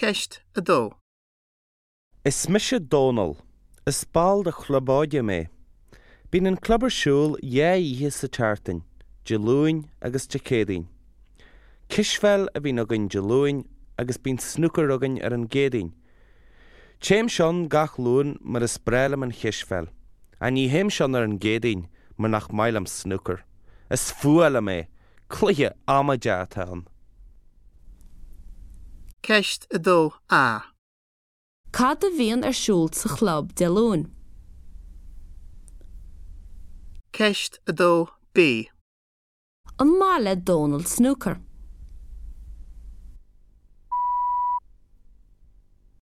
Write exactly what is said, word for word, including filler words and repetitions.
Ceist a dó. Is mise Dónal. Is ball de chlub óige mé. Bíonn an club ar siúl dhá oíche sa tseachtain, Dé Luain agus Dé Céadaoin. Cispheil a bhíonn againn Dé Luain agus bíonn snúcar againn ar an gCéadaoin. Téimse ann gach Luan mar is breá liom an chispheil. Ach ní théimse ann ar an gCéadaoin mar nach maith liom snúcar. Is fuath liom é, cluiche amaideach atá ann. Ceist a dó A. Cad a bhíonn ar siúl sa chlub Dé Luain? Ceist a dó B. An maith le Dónal snúcar?